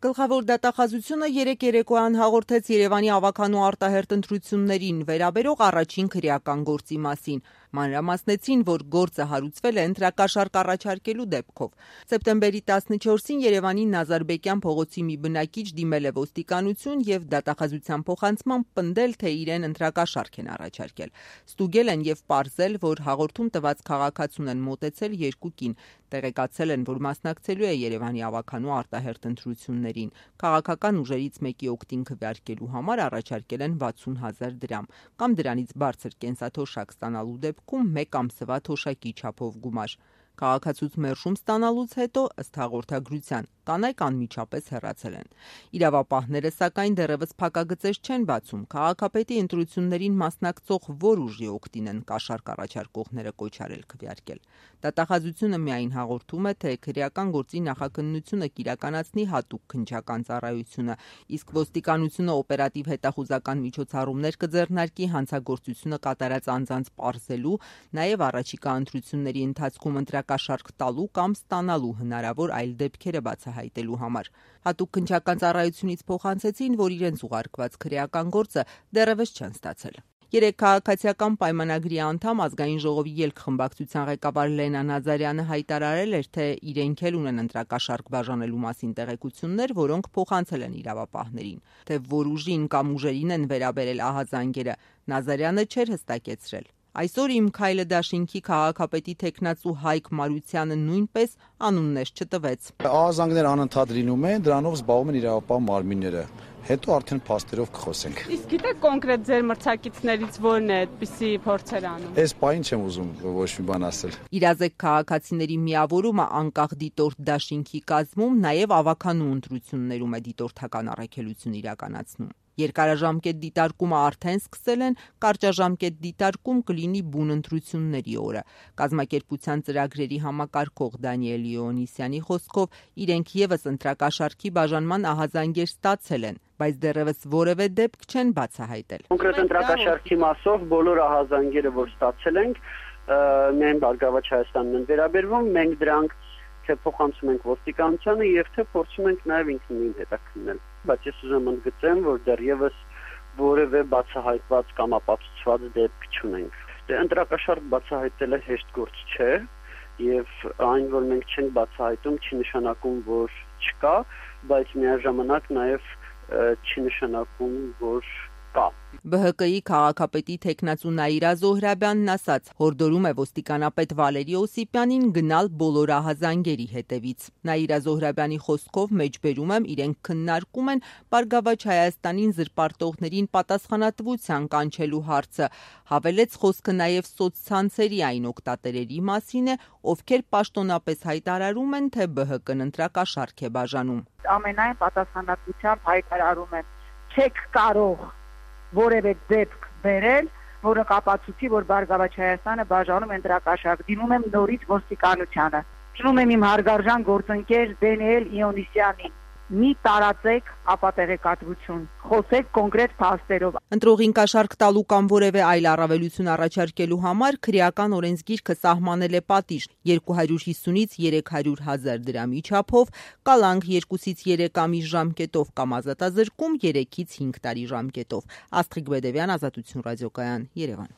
Գլխավոր դատախազությունը երեկ երեկոյան հաղորդեց Երևանի ավագանու արտահերթ ընտրություններին վերաբերող առաջին քրեական գործի մասին։ Մանրամասնեցին, որ գործը հարուցվել է ընտրակաշառք առաջարկելու դեպքով։ Սեպտեմբերի 14-ին Երևանի Նազարբեկյան փողոցի մի բնակիչ դիմել է ոստիկանություն եւ դատախազության փոխանցմամբ պնդել, թե իրեն ընտրակաշառք են առաջարկել։ Ստուգել են եւ պարզել, որ հաղորդում տված քաղաքացուն են մոտեցել երկու կին։ Տեղեկացել են, որ մասնակցելու է Երևանի ավագանու արտահերթ ընտրություններին։ Քաղաքական ուժերից մեկի օգտին քվեարկելու համար առաջարկել են 60,000 դրամ կամ դրանից բարձր կենսաթոշակ ստանալու դեպքում 1 ամսվա թոշակի չափով գումար։ Քաղաքացուց մերժում ստանալուց հետո, ըստ հաղորդագրության, կանայք անմիջապես հեռացել են։ Իրավապահները, սակայն, դեռևս փակագծեր չեն բացում քաղաքապետի ընտրություններին մասնակցող որ ուժի օգտին են կաշառք առաջարկողները կոչարել քվեարկել։ Դատախազությունը միայն հաղորդում է, թե քրեական գործի նախաքննությունը կիրականացնի հատուկ քննչական ծառայությունը, իսկ ոստիկանությունը օպերատիվ հետախուզական միջոցառումներ կձեռնարկի հանցագործությունը կատարած անձանց պարզելու, նաև առաջիկա ընտրությունների ընթացքում ընտրակաշառք տալու կամ ստանալու հնարավոր այլ դեպքերը բացահայտելու համար։ Հատուկ քննչական ծառայությունից փոխանցեցին, որ իրենց ուղարկված քրեական գործը դեռևս չեն ստացել։ Երեք քաղաքացիական պայմանագրի անդամ Ազգային ժողովի ելք-խմբակցության ղեկավար Լենա Նազարյանը հայտարարել էր, թե իրենք էլ ունեն ընտրակաշառք բաժանելու մասին տեղեկություններ, որոնք փոխանցել են իրավապահներին։ Թե որ ուժին կամ ուժերին են վերաբերել ահազանգերը, Նազարյանը չէր հստակեցրել։ Այսօր Իմ քայլը դաշինքի քաղաքապետի թեկնածու Հայկ Մարությանը նույնպես անուններ չտվեց։ Ահազանգներ անընդհատ լինում են, դրանով զբաղվում են իրավապահ մարմինները։ Հետո արդեն փաստերով կխոսենք։ Իսկ գիտեք կոնկրետ ձեր մրցակիցներից որն է այդպիսի փորձեր անում։ Այս պահին չեմ ուզում ոչ մի բան ասել։ Իրազեկ քաղաքացիների միավորումը անկախ դիտորդ դաշինքի կազմում նաև ավագանու ընտրություններում է դիտորդական առաքելություն իրականացնում։ Երկարաժամկետ դիտարկումը արդեն սկսել են, կարճաժամկետ դիտարկում կլինի բուն ընտրությունների օրը։ Կազմակերպության ծրագրերի համակարգող Դանիել Լեոնիսյանի խոսքով իրենք եւս ընտրակաշառքի բաժանման ահազանգեր ստացել են, բայց դեռևս որևէ դեպք չեն բացահայտել։ Կոնկրետ ընտրակաշառքի մասով բոլոր ահազանգերը, որ ստացել ենք, միայն Բարգավաճ Հայաստանն են վերաբերվում, մենք դրանք թե փոխանցում ենք ոստիկանությանը եւ թե փորձում ենք նաեւ ինքնին հետաքննել։ Բայց ես ուզում եմ ընդգծեմ, որ դեռևս որևէ բացահայտված կամ ապացուցված դեպք չունենք։ Ընտրակաշառք բացահայտելը հեշտ գործ չէ եւ այն, որ մենք չենք բացահայտում, չի նշանակում, որ չկա, բայց միաժամանակ նաեւ չի նշանակում, որ կա։ ԲՀԿ-ի քաղաքապետի թեկնածու Նաիրա Զոհրաբյանն ասաց, հորդորում է ոստիկանապետ Վալերի Օսիպյանին գնալ բոլոր ահազանգերի հետևից։ Նաիրա Զոհրաբյանի խոսքով մեջբերում եմ իրենք քննարկում են Բարգավաճ Հայաստանին զրպարտողներին պատասխանատվության կանչելու հարցը։ Հավելեց խոսքը նաև սոցցանցերի այն օգտատերերի մասին է, ովքեր պաշտոնապես հայտարարում են, թե ԲՀԿ-ն ընտրակաշառք է բաժանում։ Ամենայն պատասխանատվությամբ հայտարարում են, չեք կարող որևէ դեպք բերել, որը կապացուցի, որ Բարգավաճ Հայաստանը բաժանում ընտրակաշառք։ Դիմում եմ նորից ոստիկանությանը։ Դիմում եմ իմ հարգարժան գործընկեր Դանիել Լեոնիսյանին։ Մի տարածեք ապատեղեկատվություն, խոսեք կոնկրետ փաստերով։ Ընտրողին կաշառք տալու կամ որևէ այլ առավելություն առաջարկելու համար քրեական օրենսգիրքը սահմանել է պատիժ 250-ից 300,000 դրամի չափով, կալանք 2-ից 3 ամիս ժամկետով կամ ազատազրկում 3-ից 5 տարի ժամկետով։ Աստղիկ Բեդևյան, Ազատություն ռադիոկայան, Երևան։